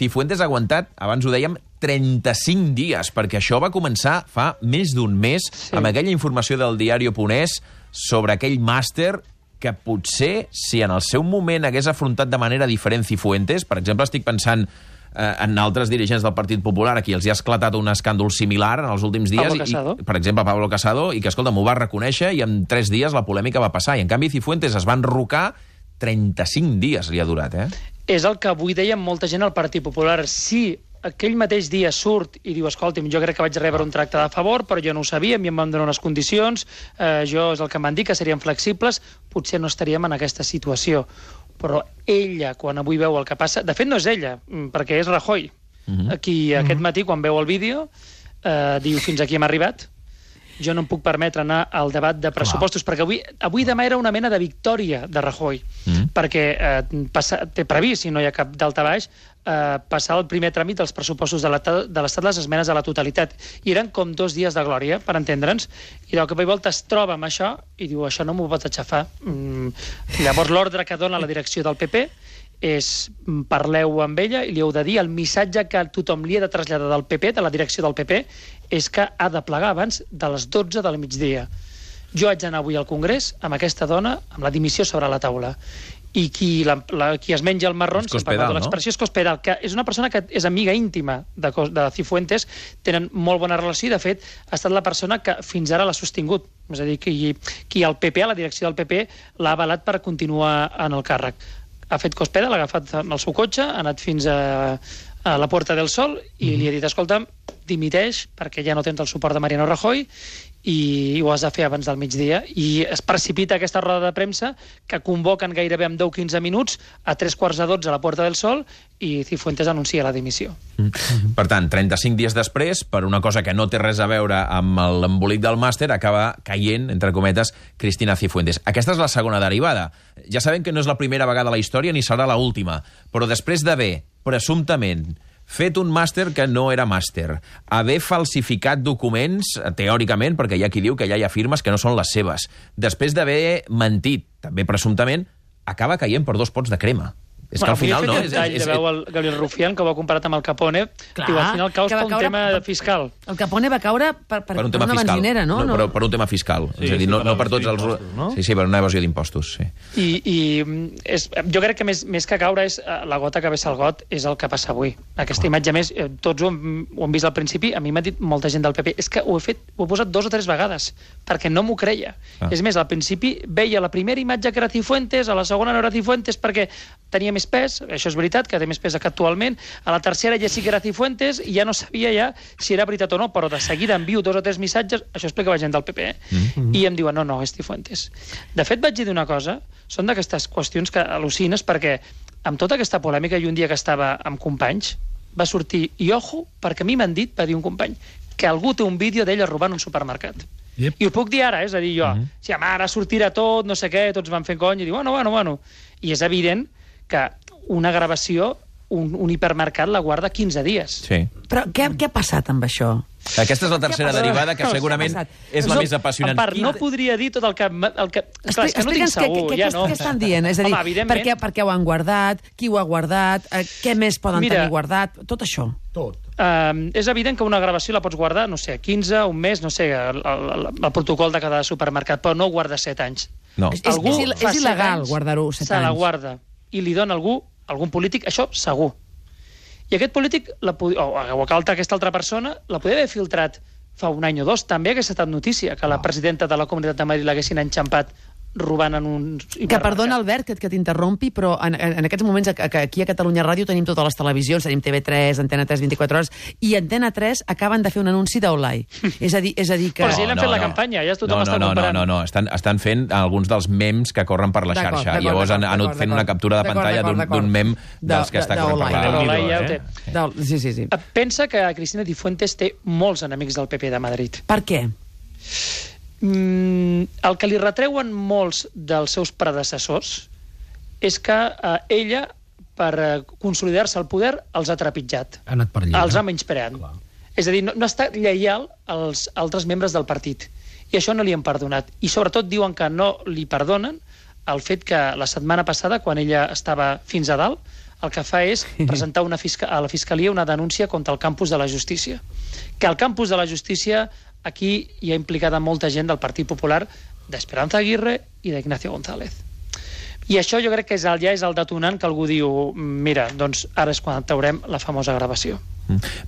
Cifuentes ha aguantat, abans ho dèiem, 35 dies, perquè això va començar fa més d'un mes, amb aquella informació del diari.es sobre aquell màster que potser, si en el seu moment hagués afrontat de manera diferent Cifuentes, per exemple, estic pensant en altres dirigents del Partit Popular, a qui els hi ha esclatat un escàndol similar en els últims dies, per exemple, Pablo Casado, i que, escolta, m'ho va reconèixer i en 3 dies la polèmica va passar. I, en canvi, Cifuentes es va enrocar 35 dies li ha durat, És el que avui deia molta gent al Partit Popular. Si aquell mateix dia surt i diu, escolti'm, jo crec que vaig rebre un tracte de favor, però jo no ho sabia, a mi em van donar unes condicions, jo és el que m'han dit, que serien flexibles, potser no estaríem en aquesta situació. Però ella, quan avui veu el que passa... De fet, no és ella, perquè és Rajoy, qui aquest matí, quan veu el vídeo, diu, fins aquí hem arribat, jo no em puc permetre anar al debat de pressupostos, perquè avui demà era una mena de victòria de Rajoy, perquè té previst, si no hi ha cap daltabaix, passar el primer tràmit dels pressupostos de l'Estat, les esmenes a la totalitat. I eren com 2 dies de glòria, per entendre'ns, i de cop i volta es troba amb això i diu, això no m'ho pots aixafar. Llavors l'ordre que dona la direcció del PP és parleu amb ella i li heu de dir el missatge que tothom li ha de traslladar del PP, de la direcció del PP, és que ha de plegar abans de les 12 del migdia. Jo haig d'anar avui al Congrés amb aquesta dona, amb la dimissió sobre la taula. I qui es menja el marrón, si parlem de l'expressió, és Cospedal, que és una persona que és amiga íntima de Cifuentes, tenen molt bona relació i, de fet, ha estat la persona que fins ara l'ha sostingut. És a dir, qui al PP, a la direcció del PP, l'ha avalat per continuar en el càrrec. Ha fet Cospedal, l'ha agafat amb el seu cotxe, ha anat fins a la Puerta del Sol i li ha dit, escolta'm, dimiteix perquè ja no tens el suport de Mariano Rajoy i ho has de fer abans del migdia. I es precipita aquesta roda de premsa que convoquen gairebé en 10-15 minuts a 11:45 a la Puerta del Sol i Cifuentes anuncia la dimissió. Per tant, 35 dies després, per una cosa que no té res a veure amb l'embolic del màster, acaba caient, entre cometes, Cristina Cifuentes. Aquesta és la segona derivada. Ja sabem que no és la primera vegada a la història ni serà l'última, però després d'haver, presumptament, fet un màster que no era màster, haver falsificat documents, teòricament, perquè hi ha qui diu que ja hi ha firmes que no són les seves, després d'haver mentit, també presumptament, acaba caient per 2 pots de crema. És que al final no... De veu el Gabriel Rufián, que ho ha comparat amb el Capone, diu, al final caus per un tema fiscal. El Capone va caure per una benzinera, no? Per un tema fiscal. És a dir, no per tots els... Sí, per una evasió d'impostos, sí. I jo crec que més que caure és la gota que vessa el got, és el que passa avui. Aquesta imatge, més, tots ho hem vist al principi, a mi m'ha dit molta gent del PP, és que ho he posat 2 o 3 vegades, perquè no m'ho creia. És més, al principi veia la primera imatge que era Cifuentes, a la segona no era Cifuentes perquè tenia més pes, això és veritat, que té més pes que actualment, a la tercera ja sí que era Cifuentes i ja no sabia ja si era veritat o no, però de seguida envio 2 o 3 missatges, això explicava gent del PP, i em diuen, no, és Cifuentes. De fet, vaig dir una cosa, són d'aquestes qüestions que al·lucines, perquè amb tota aquesta polèmica i un dia que estava amb companys, va sortir, i ojo, perquè a mi m'han dit, va dir un company, que algú té un vídeo d'ella robant un supermercat. I ho puc dir ara, és a dir, jo, si ara sortirà tot, no sé què, tots van fent cony, i diu, bueno. I és evident que una gravació, un hipermercat la guarda 15 dies. Sí. Però què ha passat amb això? Aquesta és la tercera derivada, que segurament és la més apassionant. En part, no podria dir tot el que... Clar, és que no tinc segur, ja no. Què estan dient? És a dir, per què ho han guardat, qui ho ha guardat, què més poden tenir guardat, tot això. Tot. És evident que una gravació la pots guardar, no sé, 15, un mes, no sé, el protocol de cada supermercat, però no ho guarda 7 anys. No. És il·legal guardar-ho 7 anys. Se la guarda i li dona algun polític, això segur. I aquest polític, o aquesta altra persona, la podia haver filtrat fa un any o 2. També hagués estat notícia que la presidenta de la Comunitat de Madrid l'haguessin enxampat robant en un... Que perdona, Albert, que t'interrompi, però en aquests moments aquí a Catalunya Ràdio tenim totes les televisions, tenim TV3, Antena 3, 24 hores, i Antena 3 acaben de fer un anunci d'Olai. És a dir que... Però si l'han fet la campanya, ja tothom està comparant. No, estan fent alguns dels mems que corren per la xarxa. Llavors han anat fent una captura de pantalla d'un mem dels que està corrent per la... Olai ja ho té. Sí. Pensa que Cristina Cifuentes té molts enemics del PP de Madrid. Per què? El que li retreuen molts dels seus predecessors és que ella, per consolidar-se al poder, els ha trepitjat. Ha anat per allà. Els ha menyspreat. És a dir, no ha estat lleial als altres membres del partit. I això no li han perdonat. I sobretot diuen que no li perdonen el fet que la setmana passada, quan ella estava fins a dalt, el que fa és presentar a la Fiscalia una denúncia contra el campus de la Justícia. Que el campus de la Justícia, aquí hi ha implicada molta gent del Partit Popular, d'Esperanza Aguirre i d'Ignacio González. I això jo crec que ja és el detonant que algú diu, mira, doncs ara és quan traurem la famosa gravació.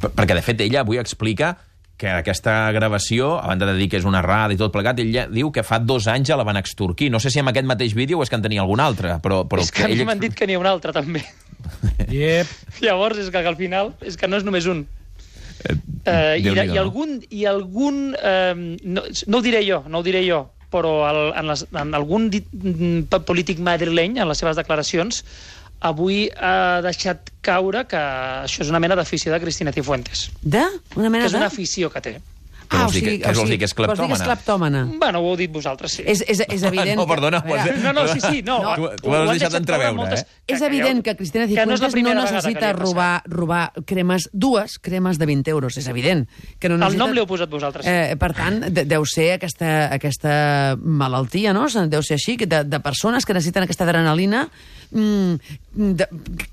Perquè, de fet, ella avui explica que aquesta gravació, a banda de dir que és una errada i tot plegat, ella diu que fa 2 anys ja la van extorquir. No sé si amb aquest mateix vídeo o és que en tenia algun altre, però és que ella... m'han dit que n'hi ha un altre, també. Yep. Llavors, és que al final, és que no és només un. I algun no ho diré jo, però en algun polític madrileny, en les seves declaracions, avui ha deixat caure que això és una mena d'afició de Cristina Cifuentes. Una mena que és una afició que té. Què vols dir que és cleptòmana? Bueno, ho heu dit vosaltres, sí. És evident... No, perdona. Sí. Tu ho has deixat entreveure, eh? És evident que Cristina Cifuentes no necessita robar cremes, 2 cremes de 20 euros. És evident. El nom l'heu posat vosaltres. Per tant, deu ser aquesta malaltia, no? Deu ser així, de persones que necessiten aquesta adrenalina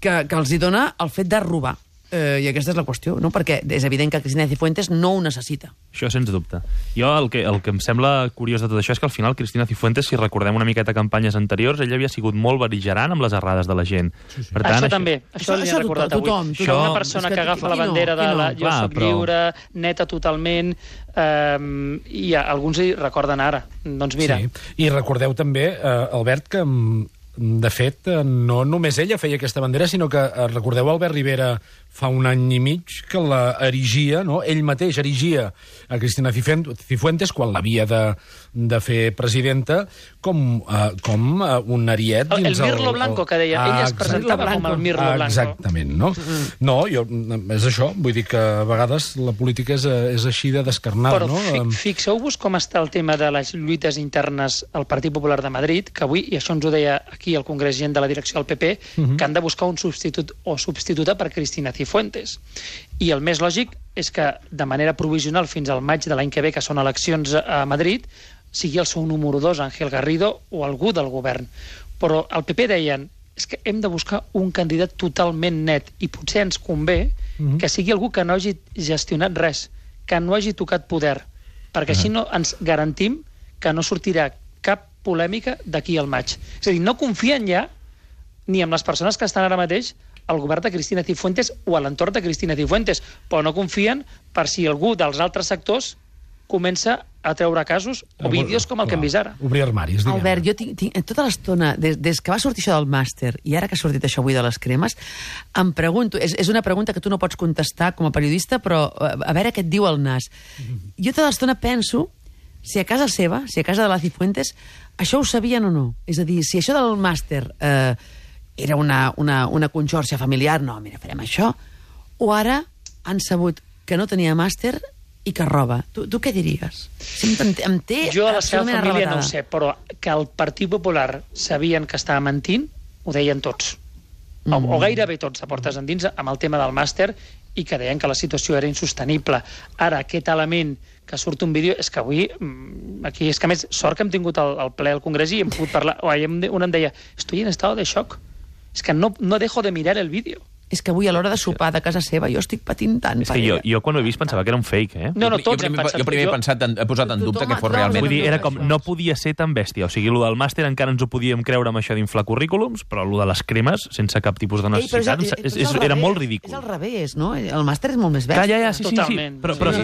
que els hi dona el fet de robar. I aquesta és la qüestió, no? Perquè és evident que Cristina Cifuentes no ho necessita. Això, sens dubte. Jo el que em sembla curiós de tot això és que al final Cristina Cifuentes, si recordem una miqueta campanyes anteriors, ella havia sigut molt bel·ligerant amb les errades de la gent. Sí. Per tant, això li he recordat avui. Una persona que agafa la bandera de la jo soc lliure, neta totalment, i alguns hi recorden ara. Doncs mira. Sí. I recordeu també, Albert, que de fet, no només ella feia aquesta bandera, sinó que recordeu Albert Rivera fa 1 any i mig que la erigia, no? Ell mateix erigia a Cristina Cifuentes quan l'havia de fer presidenta com un ariet dins el Mirlo Blanco, que deia. Ella es presentava com el Mirlo Blanco. Exactament, no? No, és això. Vull dir que a vegades la política és així de descarnada, no? Però fixeu-vos com està el tema de les lluites internes al Partit Popular de Madrid, que avui, i això ens ho deia aquí el congrés gent de la direcció del PP, que han de buscar un substitut o substituta per Cristina Cifuentes. I el més lògic és que de manera provisional fins al maig de l'any que ve, que són eleccions a Madrid, sigui el seu número 2, Ángel Garrido, o algú del govern. Però el PP deien, és que hem de buscar un candidat totalment net i potser ens convé que sigui algú que no hagi gestionat res, que no hagi tocat poder, perquè així no ens garantim que no sortirà cap polèmica d'aquí al maig. És a dir, no confien ja ni en les persones que estan ara mateix al govern de Cristina Cifuentes o a l'entorn de Cristina Cifuentes, però no confien per si algú dels altres sectors comença a treure casos o vídeos com el que hem vist ara. Obrir armaris, diguem. Albert, jo tinc tota l'estona, des que va sortir això del màster i ara que ha sortit això avui de les cremes, em pregunto, és una pregunta que tu no pots contestar com a periodista, però a veure què et diu el nas. Jo tota l'estona penso si a casa seva, si a casa de la Cifuentes, això ho sabien o no. És a dir, si això del màster era una conxorxa familiar, no, mira, farem això, o ara han sabut que no tenia màster i que roba. Tu què diries? Em té jo a la seva absolutament família arravatada. no ho sé, però que el Partit Popular sabien que estava mentint, ho deien tots. O gairebé tots, a portes endins, amb el tema del màster, i que deien que la situació era insostenible. Ara, aquest element que surt un vídeo, és que avui, aquí, és que a més, sort que hem tingut el ple al Congrés i hem pogut parlar, un em deia, estoy en estado de shock, és que no dejo de mirar el vídeo. És que avui a l'hora de sopar de casa seva jo estic patint tant. És que jo quan ho he vist pensava que era un fake, eh? No, tots hem pensat. Jo primer he posat en dubte que fos realment... Vull dir, era com, no podia ser tan bèstia. O sigui, el del màster encara ens ho podíem creure amb això d'inflar currículums, però el de les cremes, sense cap tipus de necessitat, era molt ridícul. És al revés, no? El màster és molt més bèstia. Ja, sí. Però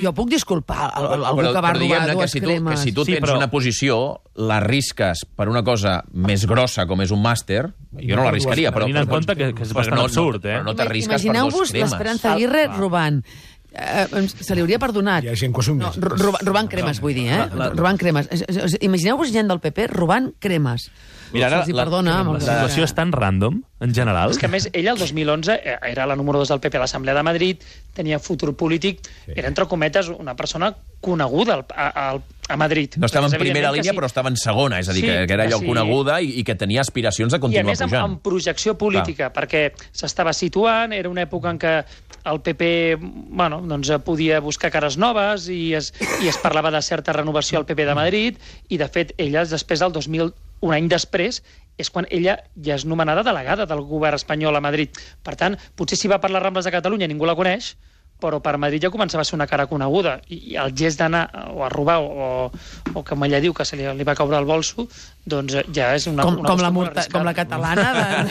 jo puc disculpar algú que va robar 2 cremes. Que si tu tens una posició, la risques per una cosa més grossa com és un màster, jo no la riscaria, però... Tenint en compte que és bastant absurd, eh? Però no t'arrisques per 2 cremes. Imagineu-vos l'Esperanza Aguirre robant. Se li hauria perdonat. Hi ha gent que ho assumeix. Robant cremes, vull dir, robant cremes. Imagineu-vos gent del PP robant cremes. Mira, ara, se'ls hi perdona. La situació és tan random, en general. És que, a més, ella el 2011 era la número 2 del PP a l'Assemblea de Madrid, tenia futur polític, era, entre cometes, una persona coneguda a Madrid. No estava en primera línia, però estava en segona, és a dir, que era allò coneguda i que tenia aspiracions de continuar pujant. I a més, amb projecció política, perquè s'estava situant, era una època en què el PP podia buscar cares noves i es parlava de certa renovació al PP de Madrid, i, de fet, ella, després del 2001, un any després és quan ella ja és nomenada delegada del govern espanyol a Madrid. Per tant, potser si va per les Rambles de Catalunya ningú la coneix, però per Madrid ja començava a ser una cara coneguda. I el gest d'anar o a robar o com ella diu, que se li va caure el bolso, doncs ja és una com la catalana.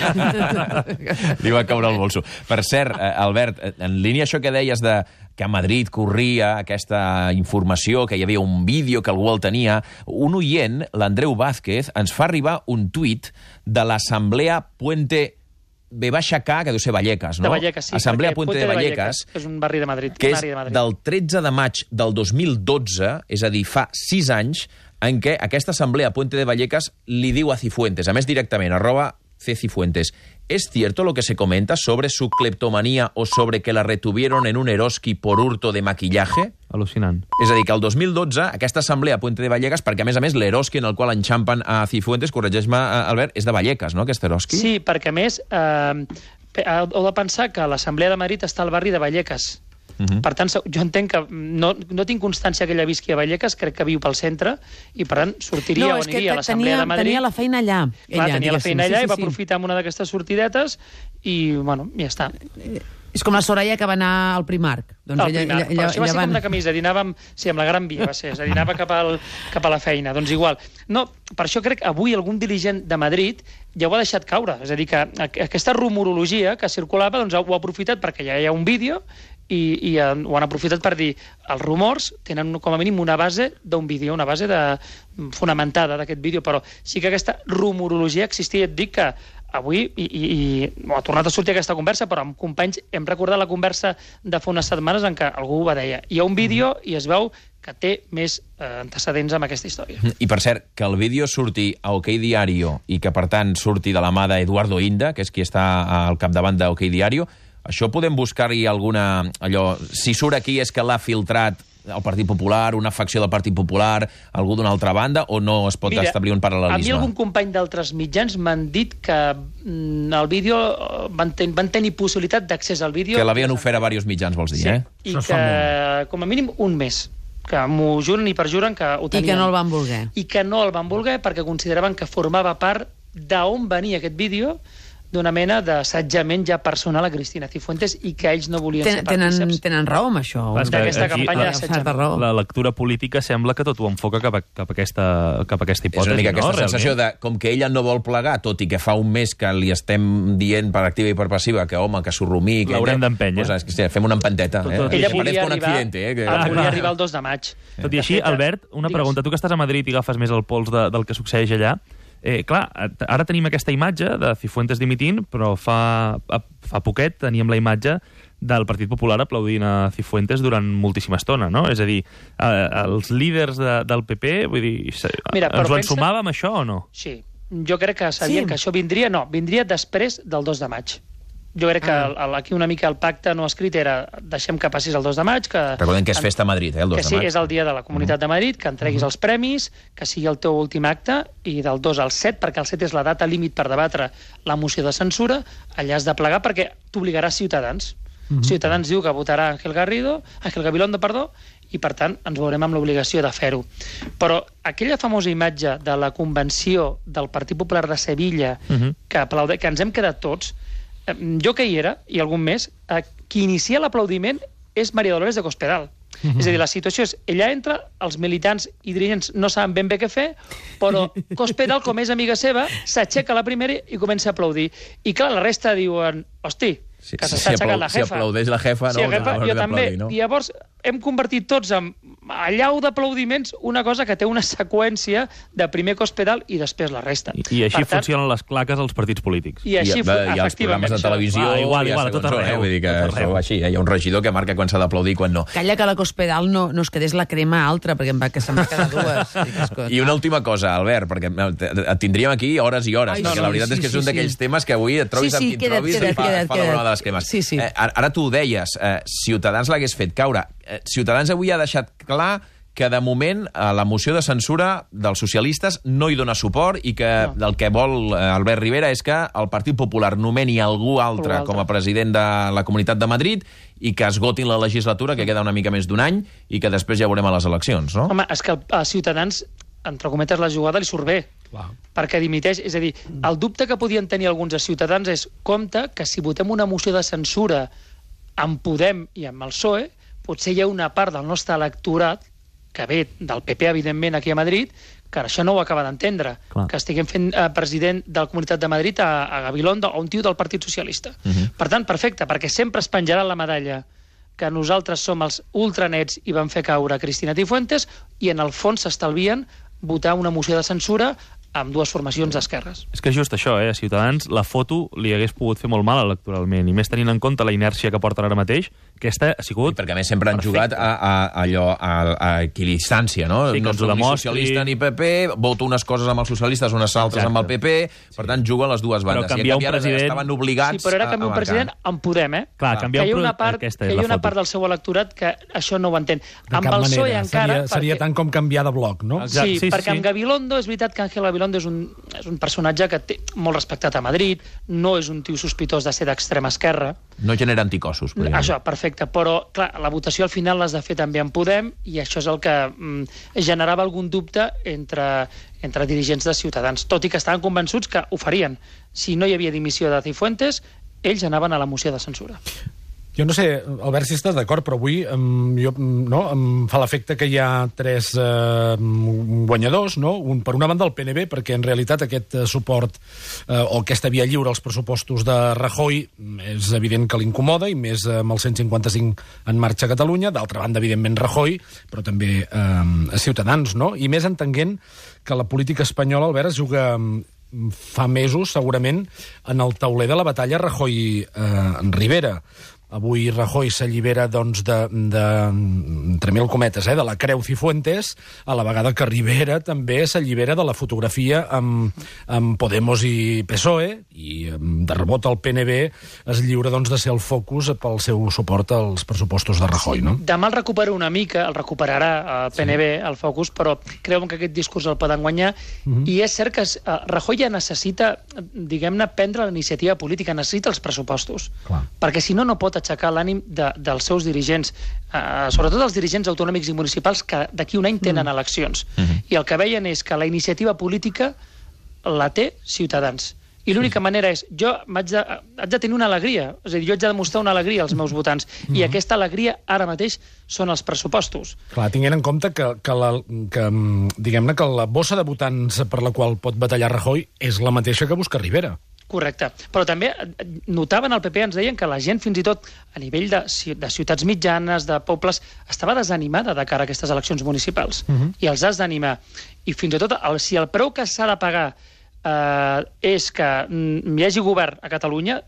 Li va caure el bolso. Per cert, Albert, en línia això que deies de que a Madrid corria aquesta informació, que hi havia un vídeo, que algú el tenia, un oient, l'Andreu Vázquez, ens fa arribar un tuit de l'Assemblea Puente B-K, que deu ser Vallecas, no? De Vallecas, sí. Assemblea Puente de Vallecas, és un barri de Madrid. Que és del 13 de maig del 2012, és a dir, fa 6 anys, en què aquesta Assemblea Puente de Vallecas li diu a Cifuentes, a més directament, @Cifuentes, ¿es cierto lo que se comenta sobre su cleptomanía o sobre que la retuvieron en un Eroski por hurto de maquillaje? Al·lucinant. És a dir, que el 2012, aquesta assemblea Puente de Vallecas, perquè a més l'Eroski en el qual enxampen a Cifuentes, corregeix-me, Albert, és de Vallecas, no, aquest Eroski? Sí, perquè a més heu de pensar que l'Assemblea de Madrid està al barri de Vallecas. Per tant, jo entenc que no tinc constància que ella visqui a Vallecas, crec que viu pel centre, i per tant sortiria o aniria a l'Assemblea de Madrid. Tenia la feina allà. Clar, tenia la feina allà i va aprofitar amb una d'aquestes sortidetes i, bueno, ja està. És com la Soraya que va anar al Primark. Doncs ella però això va ser com de camisa, dinàvem, sí, amb la Gran Via va ser, és a dir, anava cap a la feina. Doncs igual. No, per això crec que avui algun dirigent de Madrid ja ho ha deixat caure. És a dir, que aquesta rumorologia que circulava, doncs ho ha aprofitat perquè ja hi ha un vídeo i ho han aprofitat per dir els rumors tenen com a mínim una base d'un vídeo, una base fonamentada d'aquest vídeo, però sí que aquesta rumorologia existia. Et dic que avui, i ha tornat a sortir aquesta conversa, però amb companys hem recordat la conversa de fa unes setmanes en què algú va dir hi ha un vídeo i es veu que té més antecedents amb aquesta història. I per cert, que el vídeo surti a OK Diario i que per tant surti de la mà d'Eduardo Inda, que és qui està al capdavant de OK Diario, això podem buscar-hi alguna... si surt aquí és que l'ha filtrat el Partit Popular, una facció del Partit Popular, algú d'una altra banda, o no es pot establir un paral·lelisme? A mi algun company d'altres mitjans m'han dit que el vídeo van tenir possibilitat d'accés al vídeo... Que l'havien ofert a diversos mitjans, vols dir, sí, i que com a mínim un mes que m'ho juren i perjuren que ho tenien. I que no el van voler. I que no el van voler perquè consideraven que formava part d'on venia aquest vídeo, d'una mena d'assetjament ja personal a Cristina Cifuentes i que ells no volien ser partíceps. Tenen raó amb això. D'aquesta campanya d'assetjament. La lectura política sembla que tot ho enfoca cap a aquesta hipòtesi. És una mica aquesta sensació de, com que ella no vol plegar, tot i que fa un mes que li estem dient per activa i per passiva que, home, que s'ho rumí... L'haurem d'empènyer. Fem una empenteta. Ella volia arribar el 2 de maig. Tot i així, Albert, una pregunta. Tu que estàs a Madrid i agafes més el pols del que succeeix allà, clar, ara tenim aquesta imatge de Cifuentes dimitint, però fa poquet teníem la imatge del Partit Popular aplaudint a Cifuentes durant moltíssima estona, no? És a dir, els líders del PP, vull dir, ens ho ensumàvem això o no? Sí, jo crec que sabien que això vindria després del 2 de maig. Jo crec que aquí una mica el pacte no escrit era deixem que passis el 2 de maig. Recordem que és festa a Madrid, el 2 de maig. Que sí, és el dia de la Comunitat de Madrid, que entreguis els premis, que sigui el teu últim acte, i del 2 al 7, perquè el 7 és la data límit per debatre la moció de censura, allà has de plegar perquè t'obligarà Ciutadans. Ciutadans diu que votarà Ángel Gabilondo, i per tant ens veurem amb l'obligació de fer-ho. Però aquella famosa imatge de la convenció del Partit Popular de Sevilla que ens hem quedat tots, jo que hi era, i algun més, qui inicia l'aplaudiment és María Dolores de Cospedal. És a dir, la situació és, ella entra, els militants i dirigents no saben ben bé què fer, però Cospedal, com és amiga seva, s'aixeca la primera i comença a aplaudir. I clar, la resta diuen, hosti, que s'està aixecant la jefa. Si aplaudeix la jefa, no? Jo també. I llavors hem convertit tots en allau d'aplaudiments una cosa que té una seqüència de primer Cospedal i després la resta. I així funcionen les claques als partits polítics. I així, efectivament. I els programes de televisió... Igual, tot arreu. Vull dir que així, hi ha un regidor que marca quan s'ha d'aplaudir i quan no. Calla que la Cospedal no es quedés la crema altra, perquè que se'n va quedar dues. I una última cosa, Albert, perquè et tindríem aquí hores i hores, perquè la veritat és que és un d'aquells temes que avui et trobis amb qui et trobis i fa la broma de les cremes. Ara tu ho deies, Ciutadans l'hagués fet caure. Ciutadans avui ha deixat clar que de moment la moció de censura dels socialistes no hi dona suport i que el que vol Albert Rivera és que el Partit Popular nomeni algú altre com a president de la Comunitat de Madrid i que esgotin la legislatura, que queda una mica més d'un any, i que després ja veurem a les eleccions, no? Home, és que a Ciutadans entre cometes, la jugada li surt bé. Clar. Perquè dimiteix. És a dir, el dubte que podien tenir alguns ciutadans és compte que si votem una moció de censura amb Podem i amb el PSOE, potser hi ha una part del nostre electorat, que ve del PP, evidentment, aquí a Madrid, que això no ho acaba d'entendre, que estiguem fent president de la Comunitat de Madrid a Gabilondo, o un tio del Partit Socialista. Per tant, perfecte, perquè sempre es penjarà la medalla que nosaltres som els ultranets i vam fer caure Cristina Cifuentes, i en el fons s'estalvien votar una moció de censura amb dues formacions d'esquerres. És que és just això, a Ciutadans la foto li hagués pogut fer molt mal electoralment, i més tenint en compte la inèrcia que porten ara mateix, aquesta ha sigut... I perquè a més sempre han jugat a equidistància, no? Sí, no soc ni socialista ni PP, voto unes coses amb els socialistes, unes altres amb el PP, per tant juguen les dues bandes. Però canviar un president... Estaven obligats sí, però ara canviar un president en Podem, Clar, canviar que hi ha una part del seu electorat que això no ho entén. Amb el PSOE encara... Seria tant com canviar de bloc, no? Sí, perquè amb Gabilondo és veritat que Ángel Gabilondo és un personatge que té molt respectat a Madrid, no és un tio sospitós de ser d'extrema esquerra. No genera anticossos. Això, perfecte, però clar, la votació al final l'has de fer també en Podem, i això és el que generava algun dubte entre dirigents de Ciutadans, tot i que estaven convençuts que ho farien. Si no hi havia dimissió de Cifuentes, ells anaven a la moció de censura. Jo no sé, Albert, si estàs d'acord, però avui em fa l'efecte que hi ha tres guanyadors, no? Un, per una banda, el PNB, perquè en realitat aquest suport o aquesta via lliure als pressupostos de Rajoy és evident que l'incomoda, i més amb el 155 en marxa a Catalunya. D'altra banda, evidentment, Rajoy, però també Ciutadans, no? I més entenent que la política espanyola, Albert, es juga fa mesos, segurament, en el tauler de la batalla Rajoy-Rivera. Avui Rajoy s'allibera, doncs, entre mil cometes, de la creu Cifuentes, a la vegada que Rivera també s'allibera de la fotografia amb Podemos i PSOE, i de rebot el PNB es lliura, doncs, de ser el focus pel seu suport als pressupostos de Rajoy, no? Demà el recupera una mica, el recuperarà el PNB, el focus, però creuen que aquest discurs el poden guanyar, i és cert que Rajoy ja necessita, diguem-ne, prendre la iniciativa política, necessita els pressupostos, perquè si no, no pot aixecar l'ànim dels seus dirigents, sobretot els dirigents autonòmics i municipals que d'aquí un any tenen eleccions. I el que veien és que la iniciativa política la té Ciutadans. I l'única manera és, jo haig de tenir una alegria, és a dir, jo haig de demostrar una alegria als meus votants, i aquesta alegria ara mateix són els pressupostos. Clar, tinguent en compte que diguem-ne que la bossa de votants per la qual pot batallar Rajoy és la mateixa que busca Rivera. Correcte. Però també notaven al PP, ens deien que la gent, fins i tot a nivell de ciutats mitjanes, de pobles, estava desanimada de cara a aquestes eleccions municipals. I els has d'animar. I fins i tot, si el preu que s'ha de pagar és que hi hagi govern a Catalunya,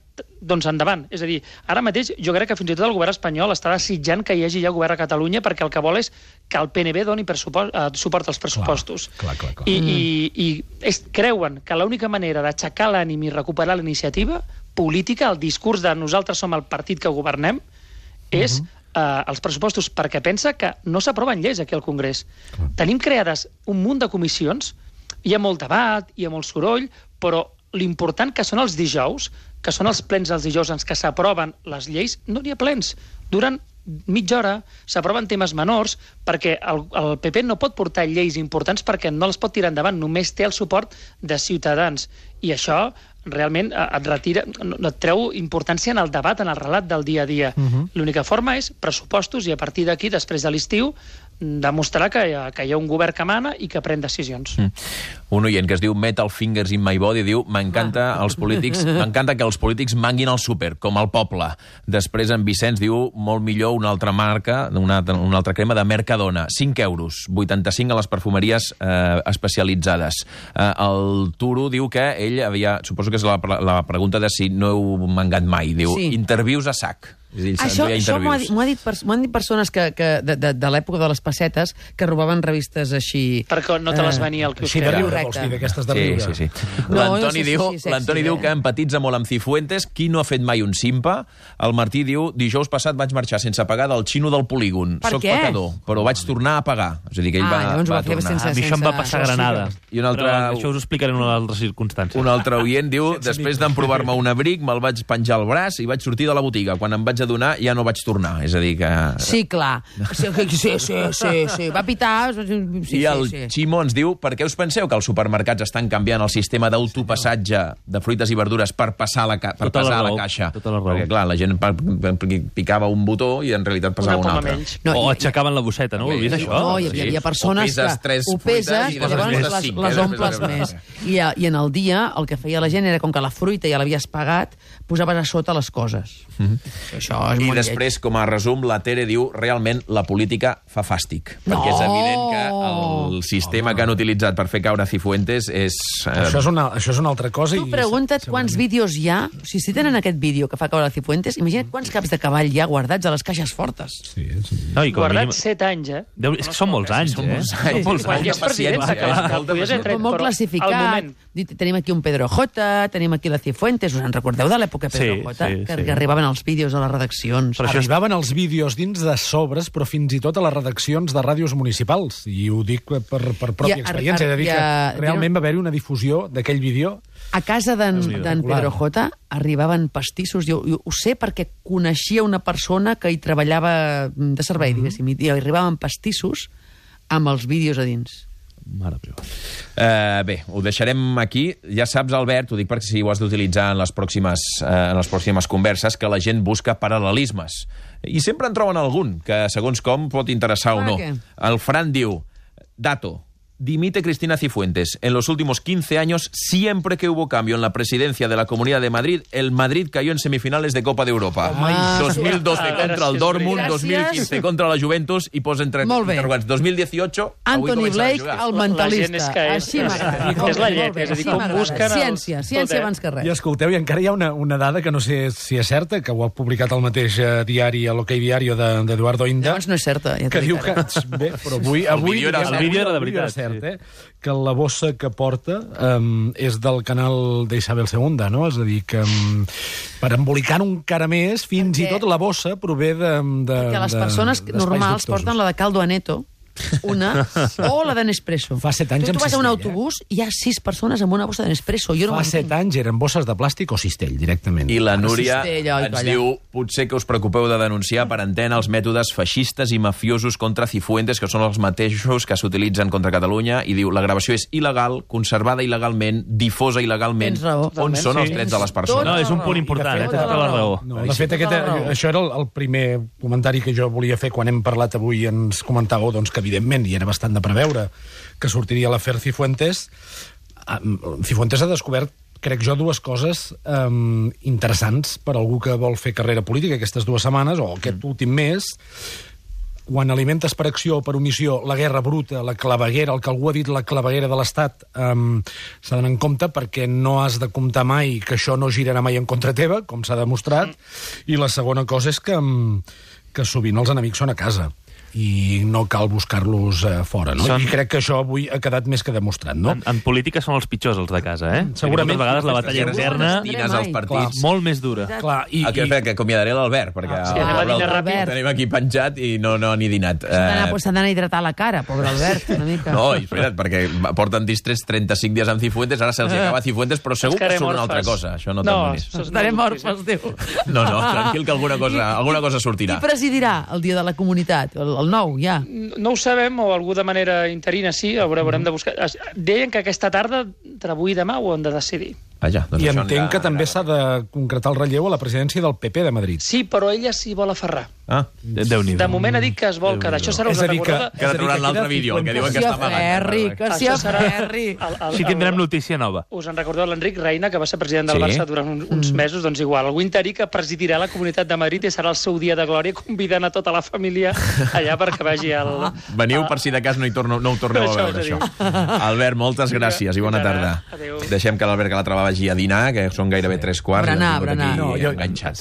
doncs endavant. És a dir, ara mateix jo crec que fins i tot el govern espanyol està desitjant que hi hagi ja govern a Catalunya, perquè el que vol és que el PNB doni suport als pressupostos. Clar. I creuen que l'única manera d'aixecar l'ànim i recuperar la iniciativa política, el discurs de nosaltres som el partit que governem, és els pressupostos, perquè pensa que no s'aproven lleis aquí al Congrés. Tenim creades un munt de comissions, hi ha molt debat, hi ha molt soroll, però l'important que són els dijous, que són els plens dels dijous en què s'aproven les lleis, no n'hi ha plens. Duren mitja hora, s'aproven temes menors, perquè el PP no pot portar lleis importants perquè no les pot tirar endavant, només té el suport de Ciutadans. I això realment et treu importància en el debat, en el relat del dia a dia. L'única forma és pressupostos, i a partir d'aquí, després de l'estiu, demostrar que hi ha un govern que mana i que pren decisions. Un oient que es diu Metal Fingers in My Body diu: m'encanta que els polítics manguin al súper, com el poble. Després en Vicenç diu: molt millor una altra marca, una altra crema de Mercadona, 5 euros, 85 a les perfumeries especialitzades. El Turo diu que ell havia, suposo que és la pregunta de si no heu mangat mai, diu, intervius a sac. Això m'ho han dit persones de l'època de les pessetes que robaven revistes així... Perquè no te les venia al Així de riure, vols dir, d'aquestes de riure. Sí. L'Antoni diu que empatitza molt amb Cifuentes. Qui no ha fet mai un simpa? El Martí diu: dijous passat vaig marxar sense pagar del xino del polígon. Per què? Soc pecador, però vaig tornar a pagar. És a dir, que ell va tornar. A mi això em va passar a Granada. Però això us ho explicaré en una altra circumstància. Un altre oient diu: després d'emprovar-me un abric, me'l vaig penjar al braç i vaig sortir de la botiga. Quan em vaig adonar ja no vaig tornar. És a dir que... Sí, clar. Sí. Va pitar... Sí, I el sí. Ximo ens diu: per què us penseu que els supermercats estan canviant el sistema d'autopassatge de fruites i verdures per passar a la caixa? Tota la raó. Perquè, clar, la gent picava un botó i en realitat passava un altre. O aixecaven la bosseta, no? Ho vist, això? No, hi havia persones que ho peses i llavors les omples més. I en el dia el que feia la gent era, com que la fruita ja l'havies pagat, posaves a sota les coses. Això és I molt després, com a resum, la Tere diu: realment la política fa fàstic. Perquè és evident que el sistema que han utilitzat per fer caure Cifuentes és... Això és una altra cosa. Tu pregunta't quants vídeos hi ha, si tenen aquest vídeo que fa caure Cifuentes, imagina't quants caps de cavall hi ha guardats a les caixes fortes. Sí. No, i Guardats 7 anys, És que són molts anys, Són molts Quan ja és president, Molt classificat. Tenim aquí un Pedro J, tenim aquí la Cifuentes. Us en recordeu de l'època Pedro J? Que arribaven els vídeos a les redaccions. Arribaven els vídeos dins de sobres, però fins i tot a les redaccions de ràdios municipals. I ho dic per pròpia experiència. És a dir, que realment va haver-hi una difusió d'aquell vídeo. A casa d'en Pedro J arribaven pastissos. Jo ho sé perquè coneixia una persona que hi treballava de servei, diguéssim, i arribaven pastissos amb els vídeos a dins. Mare meva. Bé, ho deixarem aquí. Ja saps, Albert, ho dic perquè si ho has d'utilitzar en les pròximes converses, que la gent busca paral·lelismes. I sempre en troben algun, que segons com pot interessar o no. El Fran diu: dato, dimite Cristina Cifuentes. En los últimos 15 años, siempre que hubo cambio en la presidencia de la Comunidad de Madrid, el Madrid cayó en semifinales de Copa de Europa. 2012 contra el Dortmund, 2015 contra la Juventus, i posa entre interrogants 2018... Anthony Blake, el mentalista. Així m'agrada. És la lletra, és a dir, com busquen... Ciència abans que res. I escolteu, i encara hi ha una dada que no sé si és certa, que ho ha publicat el mateix diari, l'Ok Diario d'Eduardo Inda. Llavors no és certa, ja que diu que... Bé, però avui el vídeo era de veritat. Que la bossa que porta és del canal d'Isabel II, no? És a dir, que per embolicar encara més, fins i tot la bossa prové de... Perquè les persones normals porten la de caldo aneto, una, o la de Nespresso. Fa 7 anys tu vas a un autobús i hi ha 6 persones amb una bossa de Nespresso. Fa 7 anys eren bosses de plàstic o cistell, directament. I la Núria ens diu: potser que us preocupeu de denunciar per antena els mètodes feixistes i mafiosos contra Cifuentes, que són els mateixos que s'utilitzen contra Catalunya, i diu: la gravació és il·legal, conservada il·legalment, difosa il·legalment. On són els drets de les persones? No, és un punt important, té tota la raó. No, de fet, això era el primer comentari que jo volia fer quan hem parlat avui. Ens comentàveu que evidentment, i era bastant de preveure, que sortiria l'afer Cifuentes. Cifuentes ha descobert, crec jo, dues coses interessants per algú que vol fer carrera política aquestes 2 setmanes, o aquest últim mes. Quan alimentes per acció o per omissió la guerra bruta, la claveguera, el que algú ha dit la claveguera de l'Estat, s'ha d'anar en compte, perquè no has de comptar mai que això no girarà mai en contra teva, com s'ha demostrat. I la segona cosa és que sovint els enemics són a casa i no cal buscar-los fora, no? I crec que això avui ha quedat més que demostrat, no? En política són els pitjors, els de casa, Segurament. Moltes vegades la batalla interna als partits. Molt més dura. Clar, que acomiadaré l'Albert, perquè tenim aquí penjat i no ni dinat. S'ha d'anar a hidratar la cara, pobre Albert, una mica. No, és veritat, perquè porten distrets 35 dies amb Cifuentes, ara se'ls acaba Cifuentes, però segur que surt una altra cosa. Això no t'amonis. Estarem orfes, diu. No, tranquil, que alguna cosa sortirà. Qui presidirà el dia de la comunitat? El nou, ja. No ho sabem, o algú de manera interina sí, haurem de buscar. Deien que aquesta tarda, entre avui i demà, ho han de decidir. Vaja, doncs I entenc que també s'ha de concretar el relleu a la presidència del PP de Madrid. Sí, però ella s'hi vol aferrar. Déu-n'hi-do. De moment ha dit que es vol quedar. Això serà una recordada. Que trauran l'altre vídeo, el que diuen que està amagant. Que s'hi aferri. Així tindrem notícia nova. Us en recordeu l'Enric Reina, que va ser president del Barça durant uns mesos? Doncs igual, algú interí que presidirà la Comunitat de Madrid i serà el seu dia de glòria, convidant a tota la família allà perquè vagi al... Veniu per si de cas no ho torneu a veure, això. Albert, moltes gràcies i bona tarda. Deixem que l'Albert Calatrava vagi a dinar, que són gairebé 3 quarts. Berenar. No, jo enganxat.